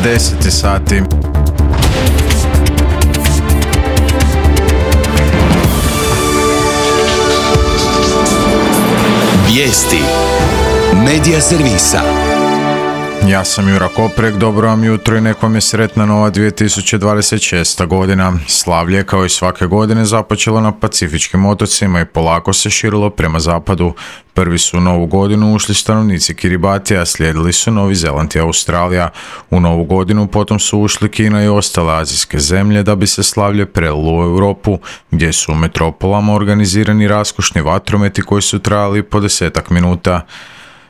10 sati. Vijesti Medija servisa. Ja sam Jura Koprek, dobro vam jutro i nek vam je sretna nova 2026. godina. Slavlje, kao i svake godine, započelo na Pacifičkim otocima i polako se širilo prema zapadu. Prvi su u novu godinu ušli stanovnici Kiribatija, slijedili su Novi Zeland i Australija. U novu godinu potom su ušli Kina i ostale azijske zemlje da bi se slavlje prelilo u Europu, gdje su u metropolama organizirani raskošni vatrometi koji su trajali po 10 minuta.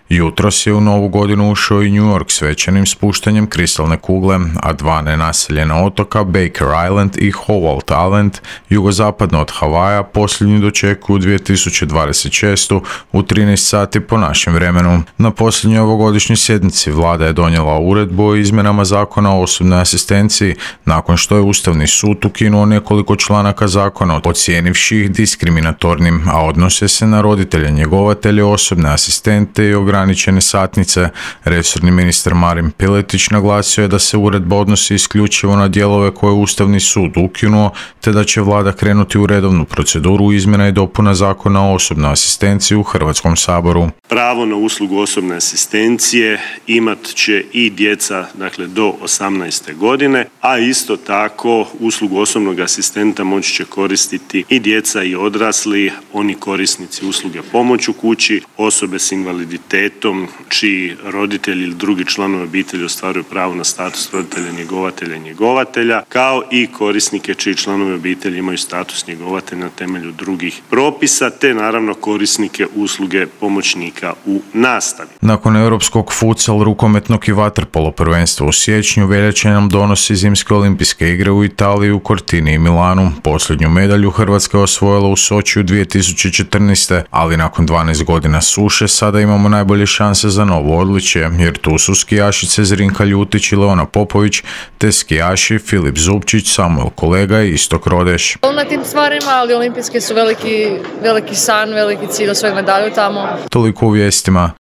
Jutros je u novu godinu ušao i New York s svečanim spuštanjem kristalne kugle, a dva nenaseljena otoka, Baker Island i Howald Island, jugozapadno od Havaja, posljednji dočekuju 2026. u 13 sati po našem vremenu. Na posljednjoj ovogodišnjoj sjednici vlada je donijela uredbu o izmjenama zakona o osobnoj asistenciji, nakon što je Ustavni sud ukinuo nekoliko članaka zakona, ocijenivši ih diskriminatornim, a odnose se na roditelje, njegovatelje, osobne asistente i ograničene satnice. Resorni ministar Marin Piletić naglasio je da se uredba odnosi isključivo na dijelove koje je Ustavni sud ukinuo, te da će vlada krenuti u redovnu proceduru izmjena i dopuna zakona o osobnoj asistenciji u Hrvatskom saboru. Pravo na uslugu osobne asistencije imat će i djeca, dakle do 18. godine, a isto tako uslugu osobnog asistenta moći će koristiti i djeca i odrasli, oni korisnici usluge pomoć u kući, osobe s invaliditetom čiji roditelji ili drugi članovi obitelji ostvaruju pravo na status roditelja, njegovatelja, kao i korisnike čiji članovi obitelji imaju status njegovatelja na temelju drugih propisa, te naravno korisnike usluge pomoćnika u nastavi. Nakon europskog futsal, rukometnog i vaterpolo prvenstva u siječnju, veljače nam donosi zimske olimpijske igre u Italiji, u Cortini i Milanu. Posljednju medalju Hrvatska je osvojila u Sočiju 2014. ali nakon 12 godina suše sada imamo najbolje šanse za novo odličje, jer tu su skijašice Zrinka Ljutić i Leona Popović, te skijaši Filip Zupčić, Samuel Kolega i Istok Rodeš. Na tim stvarima, ali olimpijske su veliki san, veliki cilj, osvojiti medalju tamo. Toliko u vijestima.